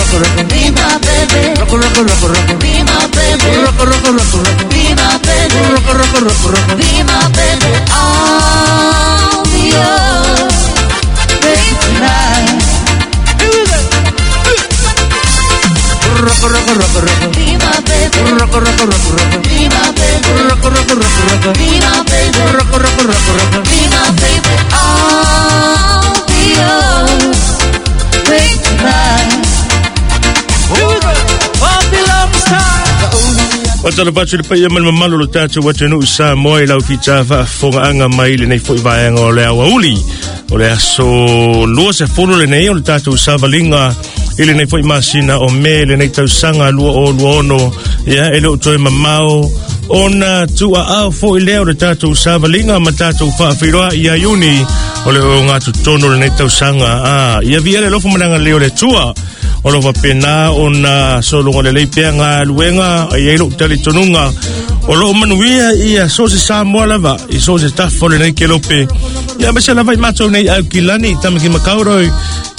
rock, rock. Be my baby. Rock, rock, rock, rock. Be my baby. Rock, rock, rock, rock. Be my baby. Rock, rock, rock, rock. Be my baby. I'll be yours, baby, tonight. Here we go. Rock, rock, rock, rock. Be my baby. Rock, rock, rock, rock. Be my baby. Rock, rock, rock, rock. Be my baby. Rock, rock, rock, rock. Be my baby. I'll be yours, baby, tonight. Here we go. Babylon style. O tala patu le paia ma le mamalu o lo tatou atunuu Samoa i lau fita faafofogaaga mai lenei foi vaega o le aoauli o le aso 20 lenei o le tatou savaliga i lenei foi masina o Me lenei tausaga 2026. Ia e le o toe mamao ona tuuaao foi lea o le tatou savaliga ma tatou faafeiloa ia Iuni o le ogatotonu o lenei tausaga. A ia viia le alofa ma le agalelei o le Atua o lo faapena ona sologa lelei pea galuega e i ai lou talitonuga o loo manuia ia so o se Samoa lava i so o se tafa o lenei kelope ia aemaise lava i matou nei Aukilani Tamaki Makaurau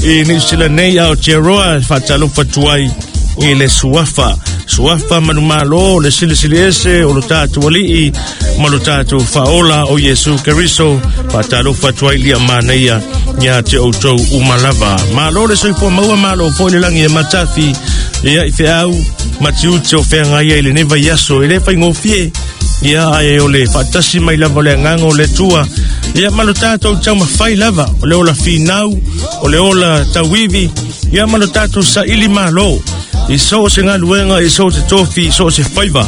i Niu Sila nei Aotearoa e faatalofa atu ai i le suafa suafa manumalo le silisili ese o lo tatou alii ma lo tatou faaola o Iesu Keriso faatalofa atu ai lia manaia ia te outou uma lava. Malo le soifua maua, malo foi le lagi e matafi ia i feau ma tiute o feagai ai lenei vaiaso. E le faigofie ia ae o le faatasi mai lava o le agaga o le Atua ia ma lo tatou taumafai lava o le ola finau, o le ola tauivi ia ma lo tatou saili malo i so o se galuega, i so o se tofi, i so o se faiva.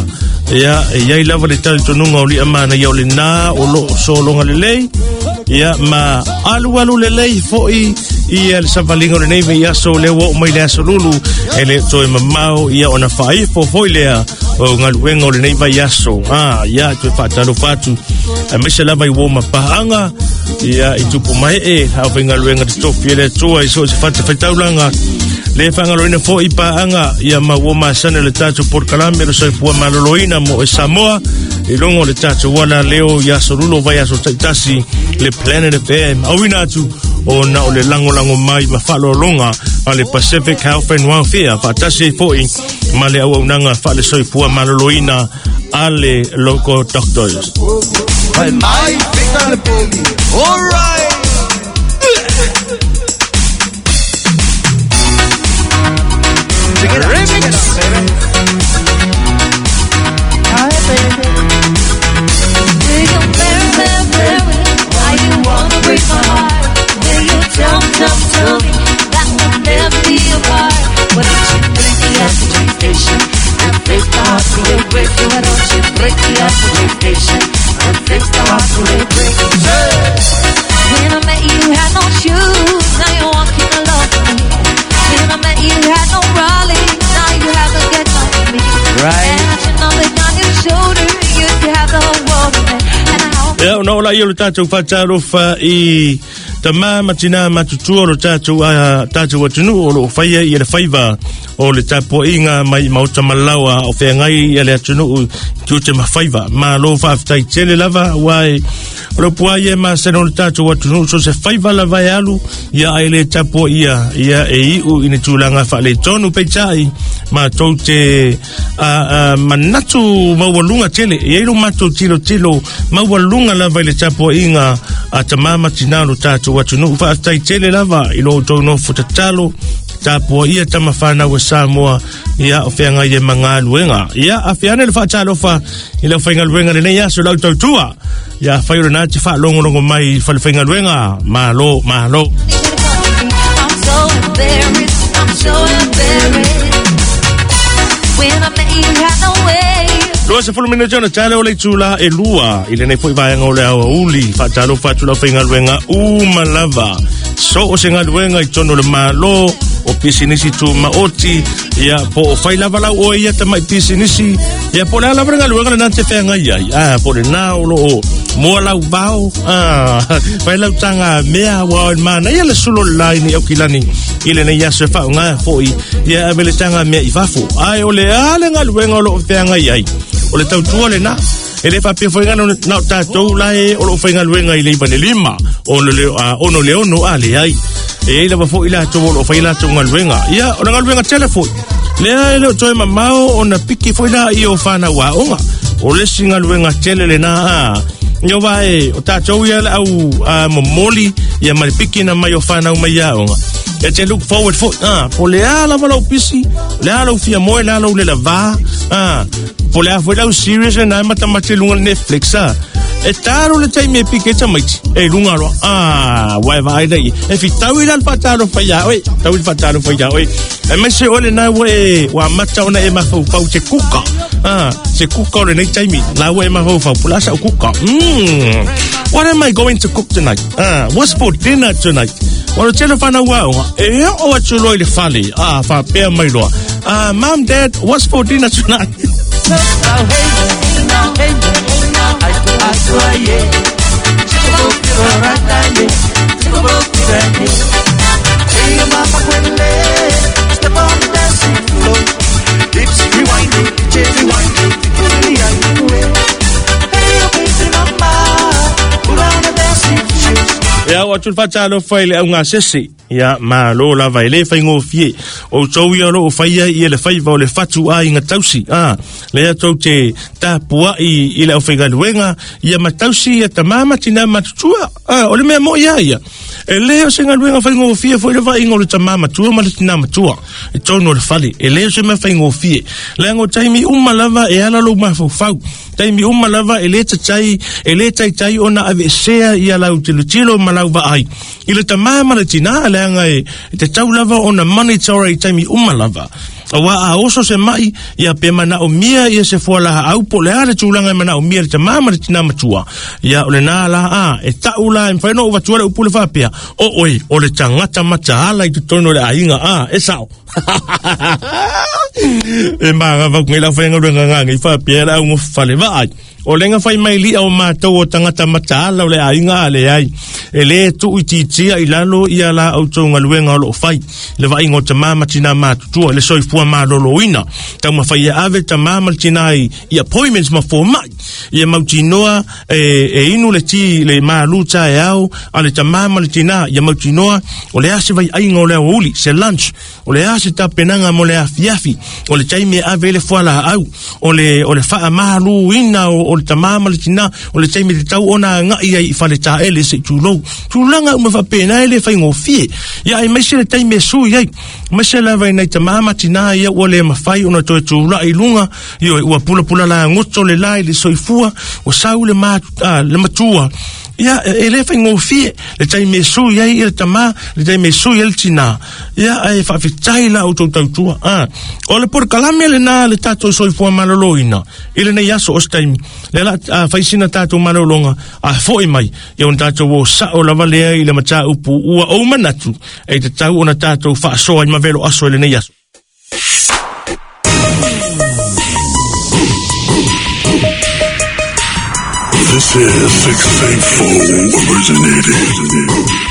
Ia, e i ai lava le talitonuga o lia manaia o lenā o loo sologa lelei ia ma alualu lelei foi ia le savaliga o lenei vaiaso lea ua oo mai le aso lulu e le toe mamao ia ona faaifo foi lea o galuega o lenei vaiaso. A ia toe faatalofa atu aemaise lava i uo ma paaga ia i tupu mae e aufaigaluega totofi e le Atua i so o se fatafaitaulaga le faagaloina foi paaga ia ma ua masani o le tatou polokalame le soifua maloloina mo e Samoa i luga o le tatou ala leo i aso lulo vai aso taitasi le Planet FM auina atu ona o le lagolago mai ma faaaloaloga a le Pacific Health and Welfare faatasi ai foi ma le auaunaga faale-soifua maloloina a le Local Doctors. Fai mai, fika le pogi. All right. Check it out, check it out, baby. Hi, baby. Will you marry, marry, marry me? Why you wanna break my heart? Will you tell me, tell me, tell me that we'll never be apart? Why don't you break the expectation and fix the heart to a break? Why don't you break the expectation and fix the heart to a break? When I met you, had no shoes. Now you're walking alone with me. When I met you, had no Raleigh. Now you have a get on me. Right. And I should know that on your shoulder, you could have the whole world with me. And I hope Ia, ona oo laia o le tatou faatalofa i tamā ma tinā matutua o lo tatou, a, tatou atunuu o loo faia ia le faiva o le tapuaiga mai maota malaoa o feagai ia le atunuu i tiute ma faiva. Malo faafetai tele lava aua e o le upu lava ia e masani o le tatou atunuu so se faiva lava e alu ia ae le tapuaia ia e iu i ni tulaga faaletonu. Peitai matou te a, a, manatu maualuga tele e i ai lo matou tilotilo maualuga lava i le tapuaiga a tamā ma tinā o lo tatou atunuu. Faafetai tele lava i lo outou nofo tatalo tapuaia tama fanau a Samoa ia o feagai ai ma galuega. Ia afe ane le faatalofa i le aufaigaluega lenei aso lau tautua. Ia afai o lena te faalogologo mai i falefaigaluega. Malo, malo. I'm so embarrassed. I'm so embarrassed. When I met you, had no way. 20 minute ona tale o le itula e lua i lenei foi vaega o le aoauli faatalofa atu lau faigaluega uma lava so o se galuega i totonu o le Malo o pisinisi tumaoti ia po o fai lava lau oe ia tamai pisinisi ia po o le a lava le galuega lena te feagai ai a po o lenā o loo moa lau vao a fai lau taga mea ua o le manaia le sulu o le la i nei Aukilani i lenei aso e faaaoga foi ia ave le taga mea i fafo ae o le a le galuega o loo feagai ai o le tautua lenā e le faapea foi na na o tatou la e o loo faigaluega i le 9 i le 5 ono le 6 a leai. E iai lava foʻi latou o loo faia latou galuega. Ia, o le galuega tele foʻi lea e le o toe mamao ona piki foʻi laia o fanau aoga. O le isi galuega tele lenā a Ia wa e, o tātou ia le au momoli, ia ma le piki na mai o whanau mai aoga. E te look forward foʻi, po le a lava lau pisi, le a lau fia moe, le a lau lela vā, po le a foʻi lau serious na e matamate luga le Netflix, E talo le taimi e piki e tamaiti, e luga loa, ua e vaai lea i, e fitau i la le faatalofa iā oe, tau i le faatalofa iā oe. E mai se ole na ua e, ua amata ona e mafaufau se kuka, se kuka o lenei taimi, la ua e mafaufau, po o le a sau kuka. What am I going to cook tonight? What's for dinner tonight? O le tele o fanau aoga, e oo atu loa i le fale, faapea mai loa, Mom, Dad, what's for dinner tonight? Ia, o atu le faatalofa i le augasese. Ia, malo lava e le faigofie. O outou ia o loo faia ia le faiva o le fatu aiga tausi. Lea tou te tapuai i le aufaigaluega, ia ma tausi ia tamā ma tinā matutua. O le mea moi a ia. E le o se galuega faigofie foi le vaaiga o le tamā matua ma le tinā matua i totonu o le fale. E le o se mea faigofie. Leaga o taimi uma lava e ala lou mafaufau. Taimi uma lava e le tatai, e le taitai ona aveesea ia lau tilotilo ma lau vaai i le tamā ma le tinā, leaga e tatau lava ona monitor i taimi uma lava. Auā a oso se maʻi, ia pe manaomia ia se fualaau po o le a le tulaga e manaomia e le tamā ma le tinā matua, ia o lenā la a e taʻu la e mafai ona ou avatua le upu le faapea, o oe o le tagata mataala i totonu o le aiga, a e sao. E magavau nei lau faigaluega gagei faapea le augofale vaai. O le fai mai lia o matou o tagata mataala o le aiga a leai. E le tuuitiitia i lalo ia la outou galuega o loo fai. Le vaaiga o tamā ma tinā matutua, le soifua malōlōina. Taumafai e ave tamā ma le tinā i appointments ma fomai. Ia mautinoa e inu le ti le malu taeao a le tamā ma le tinā. Ia mautinoa o le a se vaiaiga o le aoauli, se lunch. O le a se tapenaga mo le afiafi, o le taimi e ave ai le fualaau, o le, o le faamaluina o, o le tamā ma le tinā, o le taimi tatau ona agai ai i faletaele se i tulou. Tulaga uma faapena e le faigofie. Ia aemaise le taimi e sui ai, aemaise lava i nai tamā ma tinā ia ua le mafai ona toe tulai i luga, ioe, ua pulapula lagoto le la i le soifua, ua sau le, ma, le matua. Ia, e le faigofie le taimi e sui ai le tamā, le taimi e sui ai le tinā. Ia, ae faafetai la outou tautua. O le polokalame lenā le tatou soifua malōlōina i lenei aso o se taimi. Lea la a fai sina tatou malōlōga a foʻi mai, ia ona tatou o sao lava lea i le mataupu ua ou manatu e tatau ona tatou faasoa i mavelo aso i lenei aso. This is 684 originating.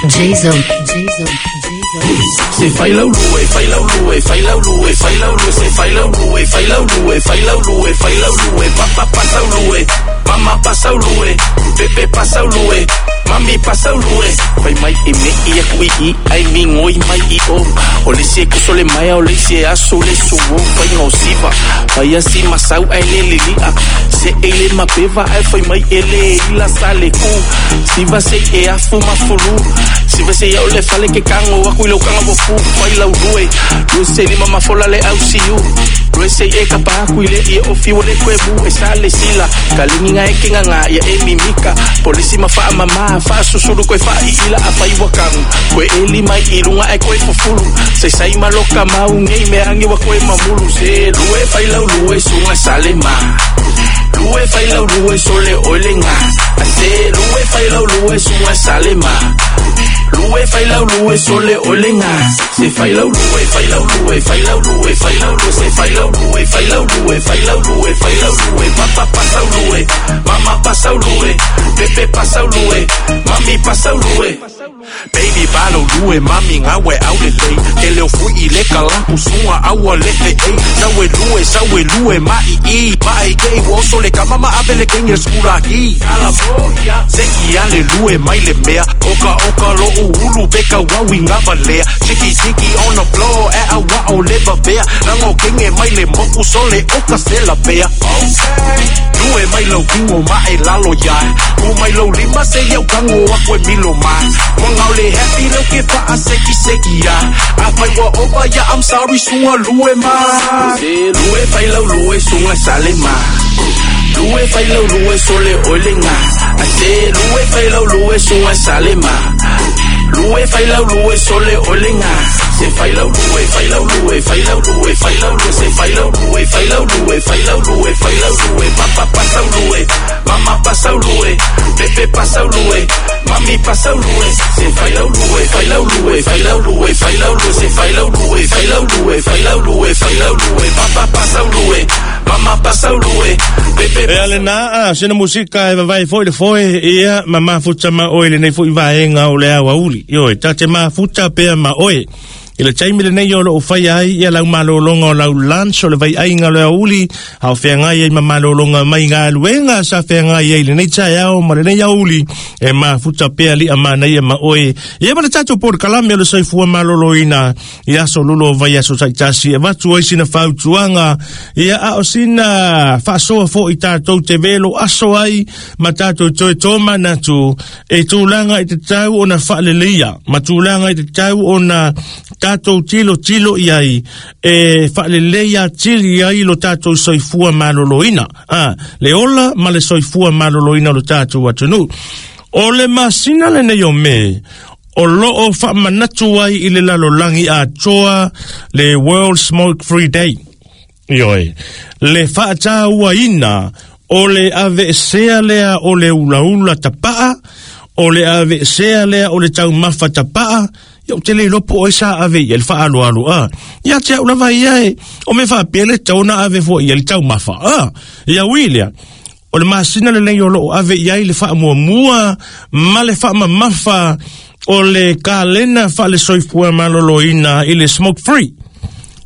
J-Zone. J-Zone. J-Zone. Se fai lau lue, fai lau lue, fai lau lue, fai lau lue, se fai lau lue, fai lau lue, fai lau lue, fai lau lue, papa pasau lue, mama pasau lue, pepe pasau lue, mami pasau lue. Fai mai e me i aku i i, ai mi ngoi mai i o. O le isi e kuso le maea, o le isi e aso le suo, fai ngau siva. Fai asi masau ai le lilia, se e le mapeva ai fai mai e le ila sa le ku. Siva se e afu mafulu, siva se iau le fale ke kango aku i lau kanga vofu. Fai lau lue, lue se lima mafola le au siu. Lue se e kapa aku i le ia o fiu o le kuebu e sa le sila. Ka linginga e kinga ngā ia e mimika. Polisi ma wha mama, wha susuru koe wha i ila a whai wakangu. Koe e lima i lunga e koe fufulu. Se sai maloka mau ngei me angi wa koe mamulu. Se lue whai lau lue sunga sale ma. Lue whai lau lue sole oile ngā. A se lue whai lau lue sunga sale ma. Lue whai lau lue sole oile ngā. Se whai lau lue, whai lau lue, whai lau lue, whai lau lue. Se whai lau lue, whai lau lue, whai lau lue, whai lau lue. Papa pasau lue, mama pasau lue, pepe pasau lue, mami pasau lue. Baby balo lue mami ngawe au le lei Ke leo fui i le kalampu sunga aua le fe ei Sau e lue, sau e lue ma i i Ma e kei wo so le kama ma ape le kenge skura ki Se i ale lue mai le mea Oka oka lo ulu beka wawi ngava lea Tiki tiki on the floor e a wa o le vavea Rango kenge mai le moku sole oka se la bea Lue mai lau kingo ma e lalo iai U mai lau lima se iau kango aku e milo mai Wanga o le happy lau ke faa seki seki ia A fai wa opa ia I'm sorry sunga lue ma Lue fai lau lue sunga sale ma Lue fai lau lue sole oile nga I say lue fai lau lue sunga sale ma Lue fai lau lue sole oile nga Se fai lau lue, fai lau lue, fai lau lue, fai lau lue Se fai lau lue, fai lau lue, fai lau lue, fai lau lue Papa pasau lue, mama pasau lue Pepe pasau lue, mami pasau lue Se fai lau lue, fai lau lue, fai lau lue, fai lau lue Se fai lau lue, fai lau lue, fai lau lue, fai lau lue Papa pasau lue, mama pasau lue Pepe E ale nā a sena musika e vavai foi le foe ia ma mafuta ma oe le nei foi vaenga o le awauli. Ioe, ta te mafuta pea ma oe. I le taimi le nei o lo whai ai ia lau malolonga o lau lunch o le vai ainga o le auli hao whengai ai ma malolonga mai ngā luenga sa whengai ai le nei chai ao ma le nei auli e mafuta pea li a mana ia ma oe. Ia ma le tatou por kalame o le soifua maloloina i aso lulo vai aso saitasi e watu ai sina fautuanga ia a o sina whaasoa fo i tātou te velo aso ai ma tātou toe tō manatu e tūlanga i te tau o na whaaleleia ma tūlanga i te tau o na tātou tilo tilo i ai e whaaleleia tili ai lo tātou soifua maloloina le ola ma le soifua maloloina lo tātou atunu o le masina le nei o me o loo whaamanatu ai i le lalolangi a toa le World Smoke Free Day. Ioi, le whaatāua ina o le ave sea lea o le ulaula tapaa, o le ave sea lea o le taumafa tapaa, ia o te le lopo oi sa ave ia le whaaloalo a. Ia te au lava ia e, o me whaapele tauna ave fo ia le taumafa a. Ia ui lea, o le masina le nei o loo ave ia i le whaamuamua, ma le whaamamafa, o le kalena wha le soifua maloloina i le Smoke Free.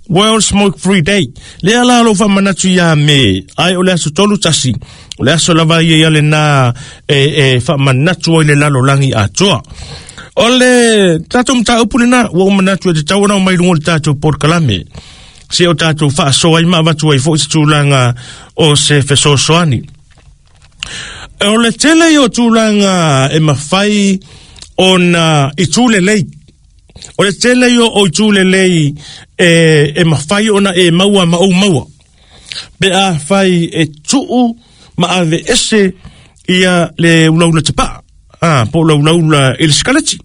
World Smoke Free Day. Le ala lo wha manatu ia me, ai o le aso tolu tasi, o le aso lava ia ia le nā e wha manatu o i le lalolangi atoa. O le tātou mta upu le nā, ua o manatu e te tau anau mai lungo le tātou porkalame. Se o tātou whaasoa i maavatu ai fo i se tūlanga o se fesoasoani. O le tele i o tūlanga e mawhai o na i tūle lei. O le tele i o i tūle lei e mawhai ona e maua ma o maua. Pe a whai e tuu ma ave ese ia le ulaula te paa. Po ulaula i le sikaleti.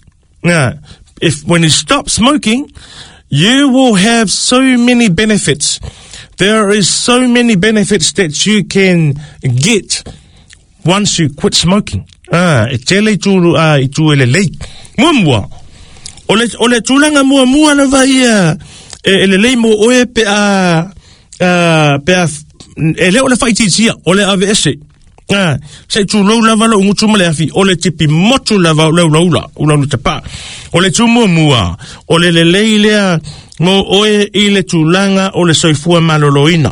If when you stop smoking, you will have so many benefits. There is so many benefits that you can get once you quit smoking. E tele i tū, i tū ele lei. Mua mua. O le tūlanga mua mua lava ia e le lei mo oe pe a, pe a, e le o le whaititia, o le ave ese. Se tū lau lava lau ngutu ma le afi, o le tipi motu lava o lau laula, o lau te pā. O le tū mua mua, o le le lei lea mo oe i le tūlanga o le soifua maloloina.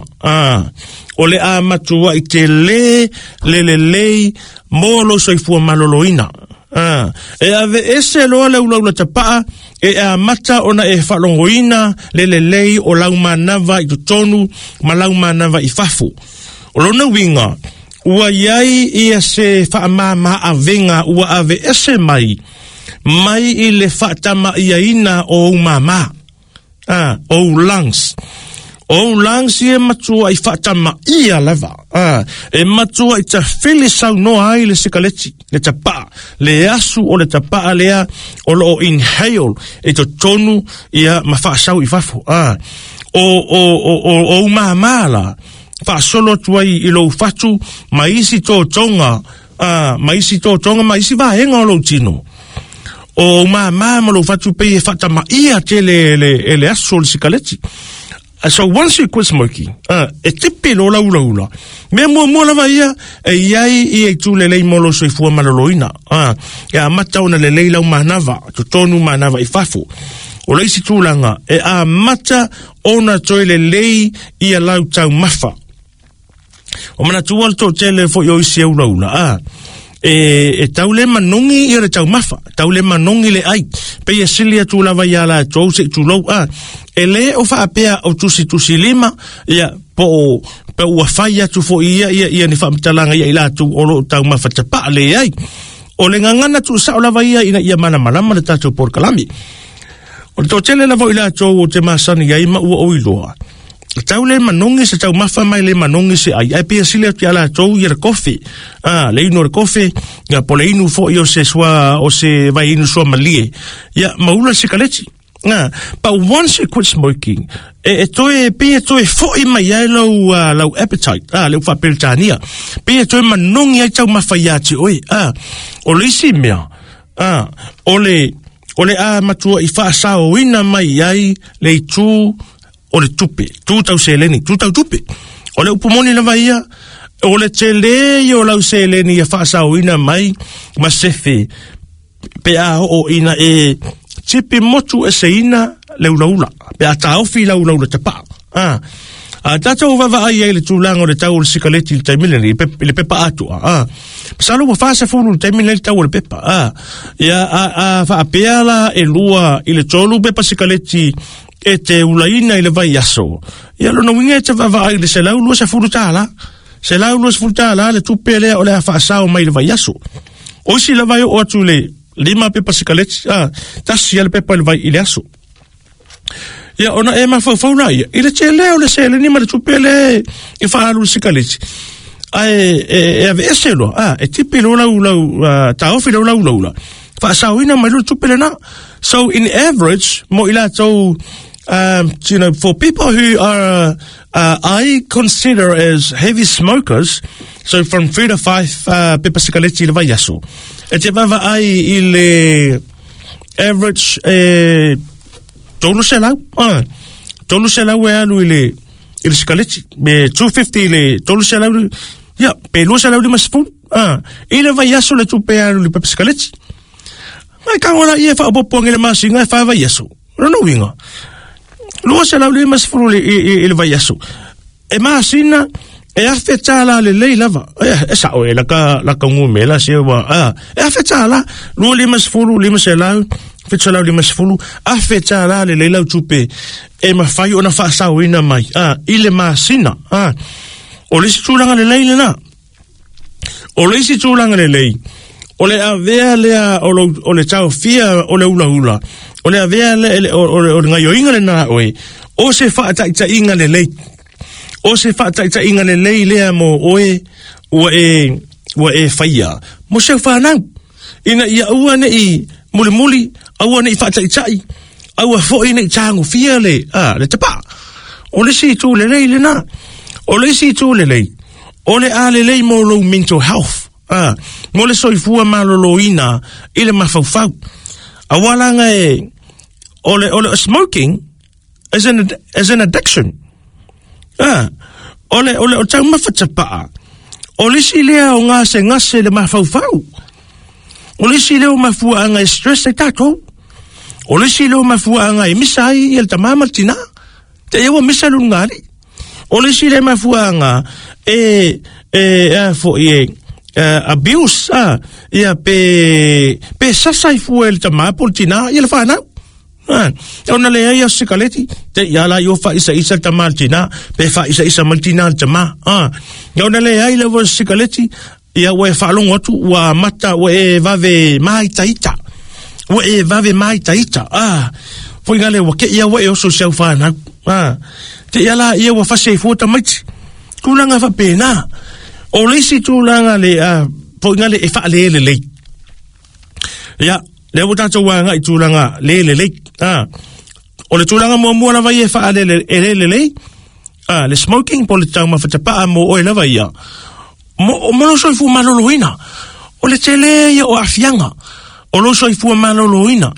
O le a matua i te le, le le lei, mo lo soifua maloloina. E ave ese loa le ulaula tapaa, e a mata ona e whalongoina le le lei o lau manava i totonu, ma lau manava i fafu. O lona winga, ua iai ia se whaamama avenga ua ave ese mai, mai i le whaatama ia ina o umama. O lungs. O lungs ia matua i whaatama ia lava. E matua i ta fili saunoa ai le sikaleti, le tapaa, le asu o le tapaa lea o loo inhale e totonu ia mawhaasau i fafu. O umama la, whaasolo atu ai i lou fatu, ma isi tō tonga, ma isi tō tonga, ma isi vaenga o lou tino. O umama ma lou fatu pei e whaatama ia te le asu o le sikaleti. So once you quit smoking, e tipi loa lau ulaula. Mea muamua lava ia, e i ai ia itu lelei mo lou soifua maloloina. E amata ona lelei lau manava, totonu manava i fafo. O le isi tulaga, e amata ona toe lelei ia lau taumafa. O manatua le toatele foi o isi e ulaula, e tau le manogi ia le taumafa, tau le manogi le ai, pei e sili atu lava ia latou se i tulou, e le o faapea o tusitusi lima, ia, po o ua fai atu foi ia, ia, ia ni faamatalaga ia i latou o lo o taumafa tapaa leai. O le gagana tuusao lava ia ina ia malamalama le tatou polokalame. O le toatele lava o i latou o te masani ai ma ua ou iloa, tau le manogi se taumafa mai le manogi se ai, ae pei e sili atu ia latou ia le kofe, le inu o le kofe, ia po o le inu foi o se sua, o se vai inu sua malie, ia ma ula le sikaleti. But once you quit smoking, e toe, pei e toe foi mai ai lau, lau appetite, le upu faa-Peretania, pei e toe manogi ai taumafa ia te oe. O le isi mea, o le, o le a matua i faasaoina mai ai le itu o le tupe, tu tau seleni, tu tau tupe. O le upu moni lava ia, o le tele ia o lau seleni ia faasaoina mai ma sefe, pe a oo ina e tipi motu eseina le ulaula, pe a taofi lau ulaula tapaa. A tatou vaavaai ai i le tulaga o le tau o le sikaleti i le taimi lenei, i le pepa atoa. Masalo ua 40 i le taimi lenei le tau o le pepa. Ia, a faapea la e 2 i le 3 pepa sikaleti e te ulaina i le vaiaso, ia lona uiga e te vaavaai i le $120. $120 le tupe lea o le a faasao mai i le vaiaso. O isi lava e oo atu i le 5 pepa sikaleti, 1 le pepa i le vai i le aso. Ia, ona e mafaufau la ia, i le tele o le seleni ma le tupe le e faaalu i le sikaleti, ae e aveese loa, e tipi loa lau, lau, taofi loa lau ulaula, faasaoina mai loa le tupe lena. So in average, mo i latou, you know, for people who are, I consider as heavy smokers, so from 3 to 5 pepa sikaleti i le vaiaso, e te vaavaai i le average e 300, 300 e alu i le i le sikaleti, me 250 i le 300, ia, pe 250, i le vaiaso le tupe e alu i le pepa sikaleti. Mai ka ora ia e faaopoopo age le masina e 4 vaiaso. O lona uiga, 250 i le vaiaso. E masina, e $1,000 lelei lava. E sao e laka, laka gumela se ua, e $1,000, 250, 500, 750, $1,000 lelei lau tupe e mafai ona faasaoina mai, i le masina. O le isi tulaga lelei lena. O le isi tulaga lelei, o le avea lea o, lo, o le taofia o le ulaula, o le avea lea, o le gaioiga lena a oe, o se faataitaiga lelei. O se faataitaiga lelei lea mo oe ua e faia. Mo seu whanau. Ina ia aua nei mulimuli, aua nei faataitai, aua foi nei tagofia le, le tapaa. O le isi itu lelei lena. O le isi itu lelei, o le a lelei mo lou mental health. Mo le soifua maloloina i le mafaufau. Aua laga e, o le smoking is an addiction. O le taumafa tapaa, o le isi lea o gasegase le mafaufau. O le isi lea o mafuaaga e stress ai tatou. O le isi lea o mafuaaga e misa ai ia le tamā ma le tinā. Te ia ua misa le ulugalii. O le isi lea mafuaaga e foi e abuse, ia pe sasa i fua e le tamā po le tinā ia le whanau. Ona leai aso sikaleti, te ia la io faaisa isa le tamā le tinā, pe faaisa isa ma le tinā le tamā. Ona leai lava sikaleti, ia ua e faalogo atu, ua amata, ua e vave maitaita. Ua e vave maitaita. Foi ngale ua ke ia ua e oso si au whanau. Te ia la ia ua fasi ai fua tamaiti. Tulaga faapena. O le isi tulaga le, foi ngale e faalele lelei. Ia, lea ua tatou agai i tulaga le lelei. O le tulaga muamua lava ia e faalele e le lelei, le smoking po o le taumafa tapaa mo oe lava ia. Mo lou soifua maloloina. O le tele ia o aafiaga o lou soifua maloloina,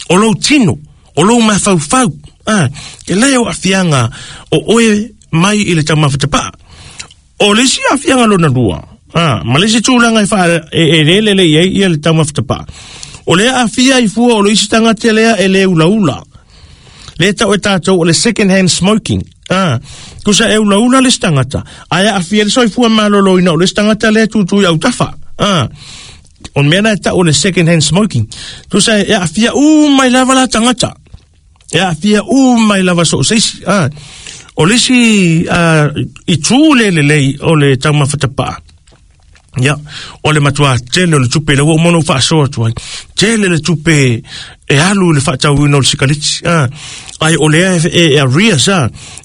o lou tino, o lou mafaufau. A, tele o aafiaga o oe mai i le taumafa tapaa. O le isi aafiaga lona lua, a, ma le isi tulaga e faa e le lelei ai ia le taumafa tapaa. O le aafia ai fua o le isi tagata lea e le ulaula. Le tau e tatou o le second hand smoking. A, tusa e ulaula le isi tagata, ae aafia le soifua maloloina o le isi tagata lea e tutu i autafa. A, o le mea na e tau o le second hand smoking. Tusa e aafia uma i lava la tagata. E aafia uma i lava so o se isi. A, o le isi itu le lelei o le taumafa tapaa. Ia, o le matua tele o le tupe, le ua uma ona ou faasoa atu ai. Tele le tupe e alu i le faatauina o le sikaleti. Ai o lea e arrears,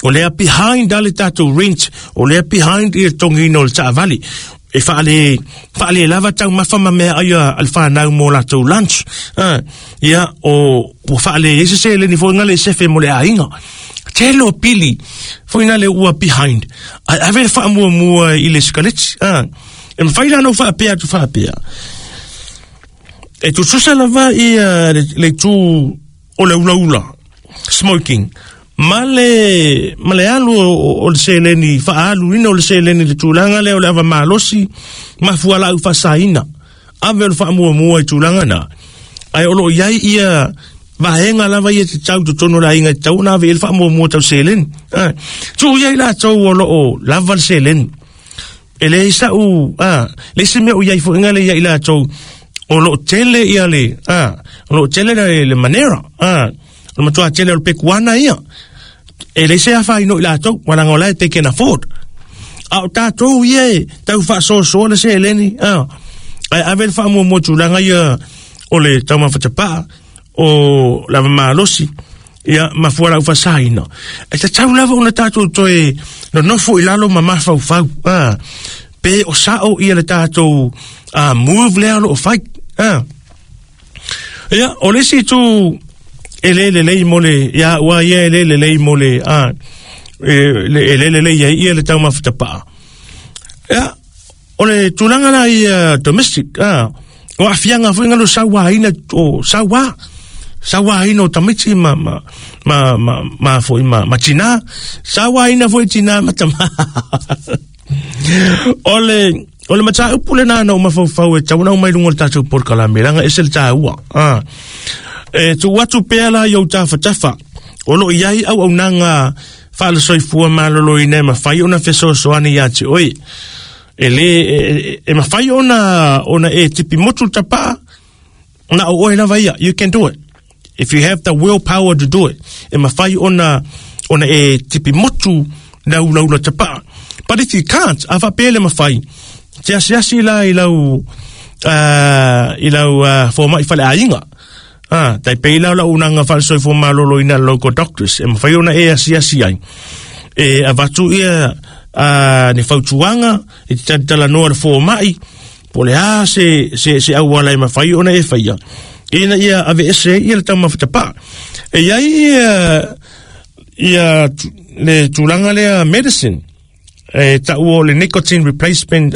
o lea behind a le tatou rent, o lea behind i le totogiina o le taavale. E faale lava taumafa ma meaai a le fanau mo latou lunch. Ia, o ua faale ai se seleni foi na le sefe mo le aiga. Tele o pili foi na le ua behind. Ae ave le faamuamua i le sikaleti. E mafai la ona ou faapea atu faapea. E tutusa lava ia le itu o le ulaula, smoking, ma le alu o le seleni, faaaluina o le seleni i le tulaga lea o le ava malosi ma fualaau faasaina. Ave o le faamuamua i tulaga na. Ae o lo o i ai ia vaega lava ia te tau totonu o le aiga e tatau ona ave i ai le faamuamua tau seleni. Tuu i ai latou o lo o lava le seleni. E leai sa'u, le isi mea o i ai foi ngale ia i latou, o lo o tele ia le, o lo o tele le manera, o le matua tele o le pekuana ia. E leai se afaina o i latou, walaga o la e they can afford. A o tatou ia e tau faasoasoa le seleni, ae ave le faamuamua tulaga ia o le taumafa tapaa, o lava malosi, ia ma fualaau faasaina. E tatau lava ona tatou toe nonofo i lalo ma mafaufau, pe o sao ia le tatou move lea o lo o fai. Ia, o le isi itu e le lelei mo le, ia ua ia e le lelei mo le, e le lelei ai ia le taumafa tapaa. Ia, o le tulaga la ia domestic, o aafiaga foi ngalo sauaina, o sauaina o tamaiti ma, ma, ma, ma, ma, foi, ma, ma tina, sauaina foi tina ma tama. O le mataupu lena na o mafaufau e tau na o mai lunga o le tatou polokalame, langa ese le tāua. E tuu atu pea la i ou tafatafa, o lo o i ai auaunaga faale-soifua maloloina e mafai ona fesoasoani ia te oe. E le, e mafai ona e tipi motu le tapaa, na o oe lava ia, you can do it. If you have the willpower to do it, e mafai ona e tipi motu na ulaula tapaa. But if you can't, a faapea le mafai, te asiasi la i lau fomai faleaiga. Tai pei la lau unanga faalesoifua maloloina local doctors, e mafai ona e asiasi ai. E avatu ia ni fautuaga, e te talanoa le fomai, po le a se auala e mafai ona e faia. Ina ia ave ese ia le taumafa tapaa. E iai ia le tulaga lea medicine, e tau o le nicotine replacement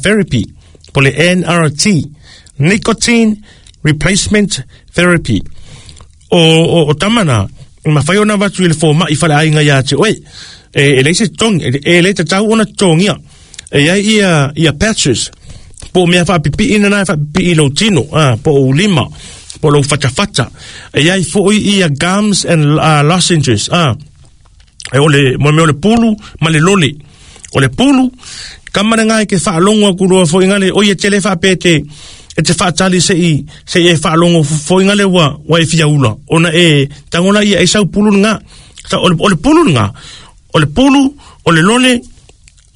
therapy, po le NRT, nicotine replacement therapy. O tamana, mafai ona avatu i le fomai faleaiga ia te oe. E leai se totogi, e le tatau ona totogia. E iai ia patches, po o mea faapipiina na e faapipii i lou tino, po o ulima, po o lou fatafata. E iai foi ia gums and lozenges, e o le mo mea o le pulu ma le lole. O le pulu, kama le ngai ke faalogo atu loa foi ngale, o ia tele faapea e te faatali se i e faalogo foi ngale ua e fiaula. Ona e tagola ia e sau pulu nga. O le pulu nga, o le pulu, o le lole,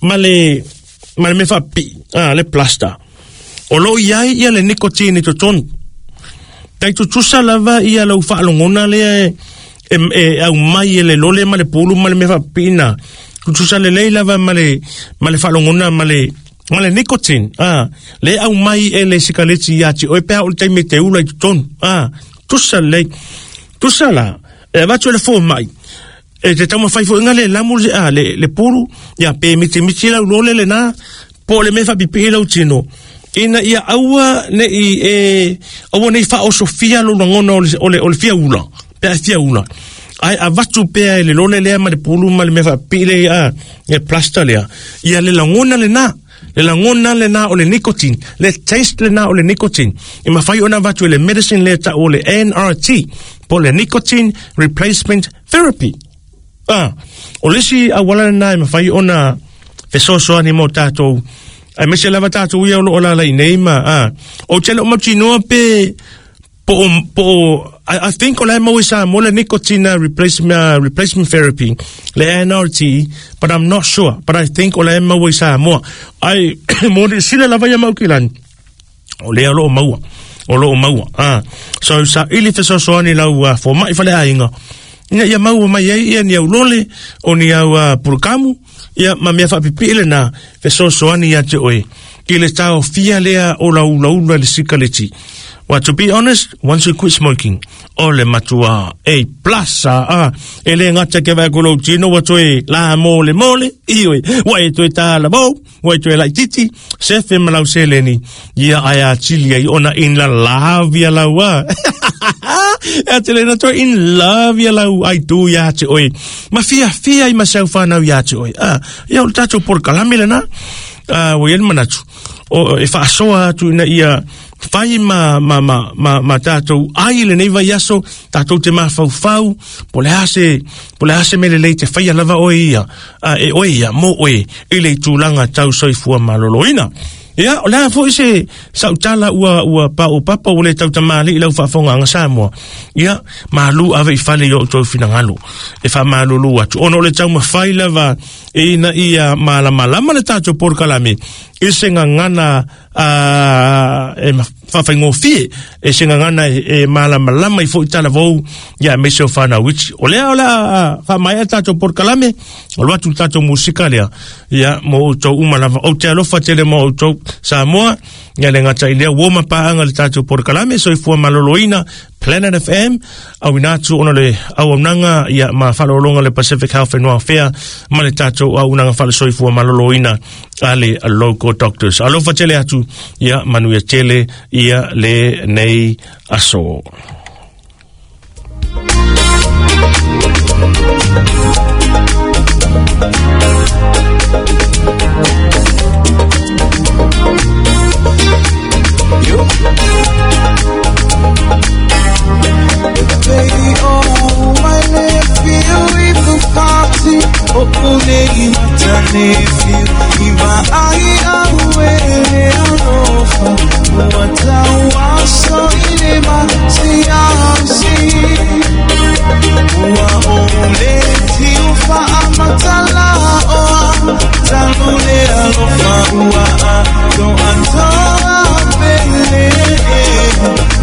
ma le mea faapipii, le plaster. O lo o i ai ia le nicotine i totonu. Tai tutusa lava ia lau faalogona lea e au mai e le lole ma le pulu ma le mea faapipii na. Tutusa lelei lava ma le faalogona ma le nicotine. Le au mai e le sikaleti ia te oe pea o le taimi te ula i totonu. Tutusa lelei. Tutusa la, e avatu e le fomai. E te taumafai foi ngale lamu le pulu, ia pe mitimiti lau lole le na, po o le mea faapipii lau tino. Ina ia aua nei e aua nei faaosofia lou lagona o le fiaula, pe a fiaula. Ae avatu pea e le lole lea ma le pulu ma le mea faapipii lea a e plaster lea. Ia le lagona lena. Le lagona lena o le nicotine. Le taste lena o le nicotine. E mafai ona avatu e le medicine lea ta'u o le NRT. Po le nicotine replacement therapy. Ah, o le isi auala lena e mafai ona fesoasoani mo tatou aemaise lava tatou ia o lo o alaala i nei ma a ou te le o mautinoa pe po o I think o la e maua i Samoa le nicotine replacement therapy le NRT, but I'm not sure, but I think o la e maua i Samoa ai mo le sila lava ia mau kilani o lea o lo o maua o lo o maua ah. So saili fesoasoani lau fomaʻi faleaiga ina ia maua mai ai ia ni au lole o ni au pulukamu ia ma mea faapipii lena fesoasoani ia te oe i le taofia lea o lau ulaula i le sikaleti. Well, to be honest, once you quit smoking, o le matua A plus a e le gata ke vai ko tino wa toe la mole mole ioi wa e toe tala mo wa e toe laititi sefe ma lau seleni ia ai a tili ai ona in la lavia lau a e te le na toe in love ia lau ai tu ia te oe ma fia fia i ma sau whanau ia te oe a ia o le tatou polokalame lena a ua i ai le manatu o e faasoa atu ina ia fai ma tatou ai lenei vaiaso tatou te mafaufau po le a se po le a se mea lelei te faia lava oe ia a, e oe ia mo oe i le tulaga tau soifua malōlōina. Ia, o le a foi se sautala ua pa'u papa ua le tautamalii lau faafogaaga Samoa. Ia, malu ave i fale i o outou finagalo e faamalulu atu. Ona o le taumafai lava ina ia malamalama le tatou polokalame i se gagana e faafaigofie e se gagana e malamalama i foi talavou ia aemaise o fanau iti. O lea o le a faamaea tatou polokalame, o lo atu le tatou musika lea, ia mo outou uma lava. Ou te alofa tele mo outou Samoa, ia le gata i lea ua mapaaga le tatou polokalame soifua malōlōina Planet FM, auina atu ona le auaunaga ia ma faaaloaloga le Pacific Health and Welfare ma le tatou auaunaga faale-soifua malōlōina a le Local Doctors. Alofa tele atu, ia manuia tele ia lenei aso.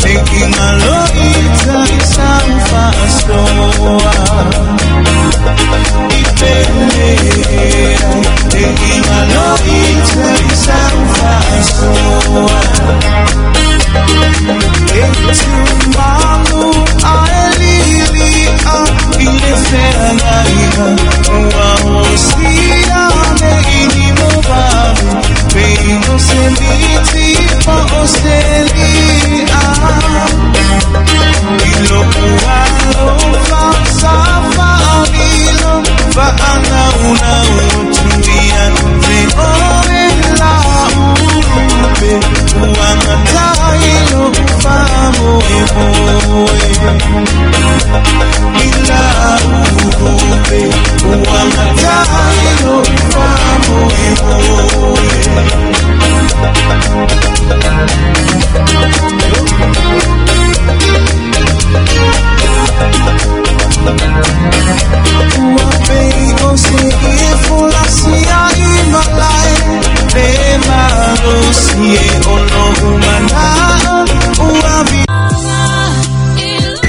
Making my love